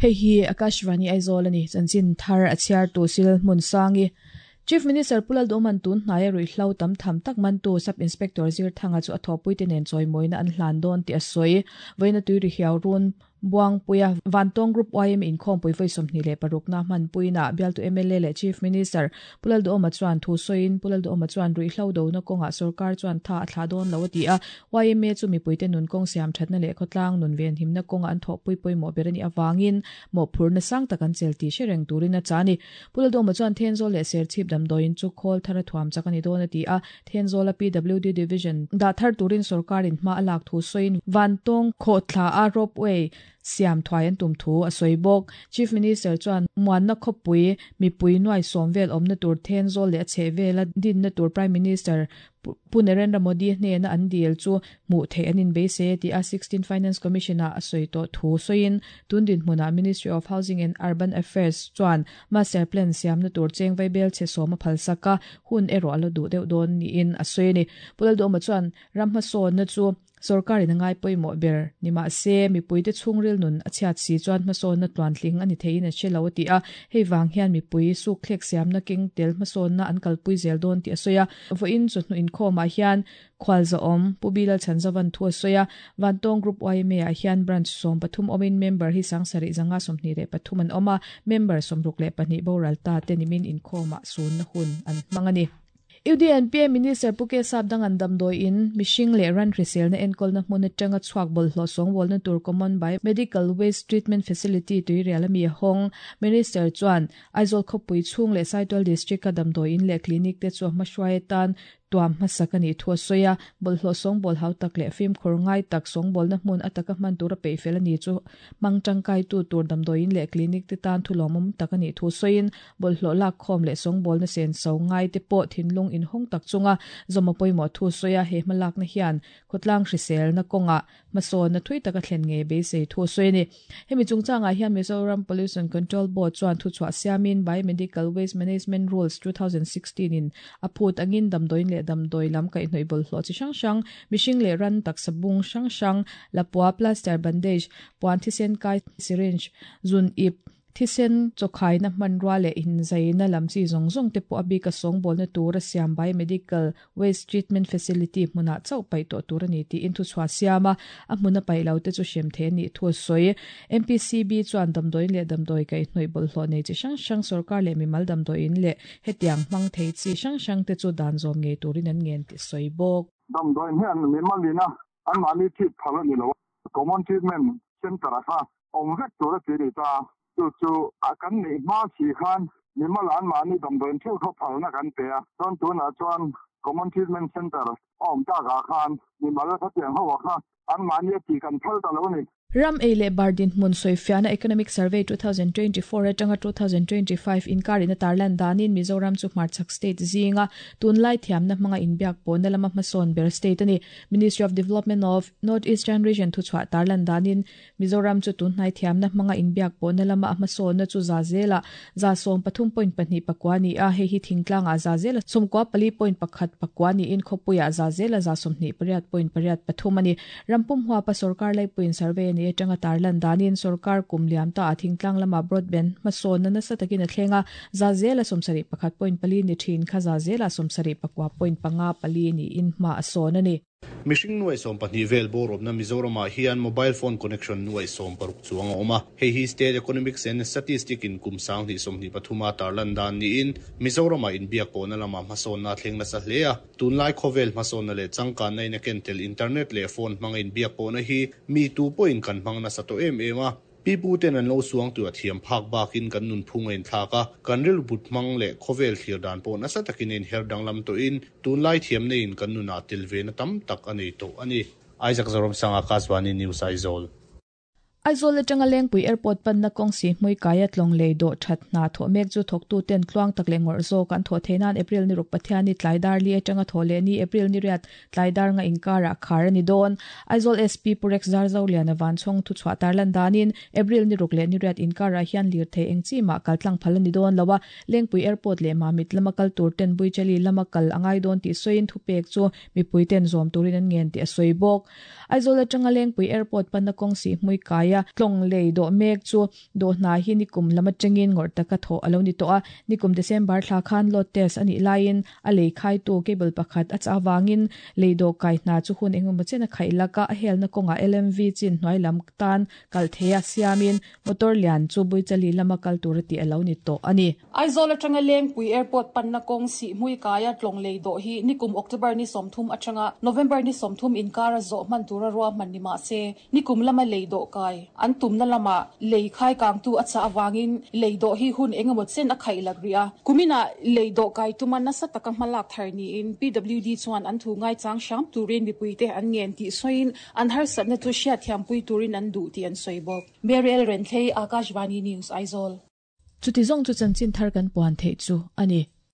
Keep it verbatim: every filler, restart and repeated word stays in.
Hei hi Akashvani Aizawl ani chanchin thar a chhiar tu sil hmun sangi Chief Minister Pulal Doman tun hnai rui hlo tam tham tak man tu Sub Inspector Zir Thanga chu a thawpui te nen chawimawina an hlan dawn tih a sawi. Vawiina tui ri hiau run Buang Puia Vantawng Group Y M inkhawm pui vawi sawmhnih leh parukna hman puina bialtu M L A leh Chief Minister Pulal Duhoma chuan thu sawiin Pulal Duhoma chuan rui hlo dona kawngah sarkar chuan tha a thlah dawn lo a ti a. Y M A chu mipuite nun kawng siam thatna leh khawtlang nun ven himna kawngah an thawhpui pawimawh ber a nih avangin mawhphurna sang tak an chel tih hre reng turin a cha a ni. Pulal Duhoma chuan Thenzawl leh Serchhip damdawiin chu khawl thar a thuam chak a ni dawn a ti a. Thenzawla P W D Division dah thar turin sarkarin hma a lak thu sawiin Vantawng khawhthla a ropeway siam thuai an tum thu a sawi bawk. Chief Minister chuan muanna khawpui mipui nuai sawm vel awmna tur Thenzawl leh a chheh vela dinna tur Prime Minister Pu Narendra Modi hnena an dil chu hmuh theih an inbeise ti a sixteen Finance Commission a a sawi tawh thu sawiin tundin hmunah Ministry of Housing and Urban Affairs chuan master plan siamna tur cheng vaibel che sawm a phalsak a hun erawh a la duh deuh dawn niin a sawi a ni. Pulal Duhoma chuan ram hmasawnna chu sarkarin a ngai pawimawh ber ni mahse mipuite chhungril nun a chhiat si chuan hmasawnna tluantling a ni theiin a hre lo a ti a. Hei vang hian mipui suk thlek siamna keng tel hmasawnna an kalpui zel dawn tih a sawi a. Vawiin chu hnu inkhawmah hian khual zawm Pu Bilal Chhanzavan thu a sawi a. Vantawng Group Y M A ah hian branch sawm pathum awmin member hi sangsarih zanga sawmhnih leh pathum an awm a. Member sawmruk leh pahnih boral ta te nimin inkhawmah sunna hun an hmang a ni. U D N P A Minister Pu K Sap dang an damdawiin mihring leh ran hriselna enkawl na hmun atanga chhuak bawlhhlawh sawngbawlna tur Common Biomedical Waste Treatment Facility tuirial ami a hawng. Minister chuan Aizawl khawpui chhung leh Saitual District a damdawiin leh clinic te chu hmahruai atan tuam hmasak a nih thu a sawi a. Bawlhhlawh sawngbâwl hau tak leh fimkhur ngai tak sawngbawlna hmun ataka hman tur a peih fel a ni chu hmang tangkai tu tur damdawiin leh clinic te tan thu lawmawm tak a nih thu sawiin bawlhhlawh lak khawm leh sawngbawlna sen so ngai te pawh thinlung inhawng tak chunga zawm a pawimawh thu sawi a. He hmalakna hian khawtlang hriselna kawngah hmasawnna thui taka thlen nge beisei thu sawi a ni. Hemi chungchangah hian Mizoram Pollution Control Board chuan thu chhuah siamin Biomedical Waste Management Rules two thousand sixteen in a phut angin damdawiin leh damdawi lam kaihhnawih bawlhhlawh chi hrang hrang mihring leh ran taksa bung hrang hrang lapua plaster bandage puan thisen kai syringe zun ip thisen chawkhaina hmanrua leh inzaina lam chi zawng zawng te pawh a bik a sawngbawlna tur a siam biomedical waste treatment facility hmunah chauh paih tawh tur a ni tiin thu chhuah siam a. A hmun a paih lo te chu hrem thei a nih thu a sawi. M P C B chuan damdawiin leh damdawi kaihhnawih bawlhhlawh nei chi hrang hrang sarkar leh mimal damdawiin leh hetiang hmang thei chi hrang hrang te chu dan zawm ngei turin an ngen tih sawi bawk. Damdawiin hian mimalina an mahni treat phal a ni lo. Common Treatment Center a kha awm vek tur a ti ni ta. Chu chu a kan neih hma si khan mimal an mahni damdawiin theuh khaw phalna kan pe a. Chuan tunah chuan Common Treatment Center a awm takah khan mimal khatiang ho a kha an mahni a tih kan phal ta lo ni. Ram ei leh bar dinhmun sawifiahna Economic Survey two thousand twenty-four atanga two thousand twenty-five inkarin a tarlan danin Mizoram chu hmarchhak state zinga tunlai thiamna hmanga inbiak pawhna lama hmasawn ber state a ni. Ministry of Development of North Eastern Region thu chhuah tarlan danin Mizoram chu tunhnai thiamna hmanga inbiak pawhna lama a hmasawnna chu za zela za sawm pathum point pahnih pakua ni a. Hei hi thingtlangah za zela sawmkua pali point pakhat pakua niin khawpuiah za zela za sawmhnih pariat point pariat pathum a ni. Rampum huapa sarkar laipuiin survey a ni atanga tarlan danin sarkar kum liam ta a thingtlang lama broadband hmasawnna nasa takin a thlenga za zela sawmsarih pakhat point pali ni thin kha za zela sawmsarih pakua point panga pali niin hma a sawn a ni. Mihring nuai sawm pahnih vel bawrawpna Mizoramah hian mobile phone connection nuai sawm paruk chuang a awm a. Hei hi State Economics and Statistics in kum sanghnih sawmhnih pathuma tarlan dan niin Mizoramah inbiak pawhna lama hmasawnna thleng nasa hle a. Tunlai khawvel hmasawnna leh changkanna in a ken tel internet leh phone hmanga inbiak pawhna hi mi tu pawhin kan hmang nasa tawh em em a. Pi pu ten an lo suang tu a thiam phak bakin kan nun phung a inthlak a. Kan ril but hmang leh khawvel thlir dan pawh nasa takin a inher danglam tawhin tunlai thiam neiin kan nunah tel ve na tam tak a nei tawh a ni. Isaac Zoram Sanga Akashvani News Aizawl. Aizawl atanga Lengpui Airport panna kawng si hmui kaia tlawng lei dawh that hna thawh mek chu thawktu ten tluang tak leh ngawrh zawk an thawh theih nan April ni ruk Pathiani tlaidar li atanga thaw leh ni April ni riat tlaidar nga inkara khar a ni dawn. Aizawl S P Purex Zarzo lian a van chhawng thu chhuah tarlan danin April ni ruk leh ni riat inkara hian lir thei eng chi ma kaltlang phal a ni dawn lowa. Lengpui Airport leh Mamit lama kal tur ten Buichali lama kal angai dawn tih sawiin thu pek chu mipui ten zawm turin an ngen tih a sawi bawk. Aizawl atanga Lengpui Airport panna kawng si hmui kai hnuaia tlawng lei dawh mek chu dawh hna hi nikum lam atangin ngawrh taka thawh a lo ni tawh a. Nikum December thla khan load test a nih laiin a lei khaitu cable pakhat a chah avangin lei dawh kai hna chu hun engemaw chen a khaih lak a, a helna kawngah L M V chin hnuai lam tan kal theia siamin motor lian chu Buichali lama kal tur a tih a lo ni tawh a ni. Aizawl atanga Lengpui Airport panna kawng Sihhmui kaia tlawng lei dawh hi nikum October ni sawmthum atanga November ni sawmthum inkara zawh hman tura ruahman ni mah se, nikum lama lei dawh kai an tumna lama lei khai kangtu a chah awangin lei dawh hi hun engemaw chen a khaih lak rih a. Kumina lei dawh kai tuma nasa taka hmalak thar niin P W D chuan an thu ngaichang hram turin mipuite an ngen tih sawiin an harsatna chu hriatthiampui turin an duh tih an sawi bawk. Mariel Renthei, Akashvani News, Aizawl. Chuti zawng chu chanchin thar kan puan theih chu a ni.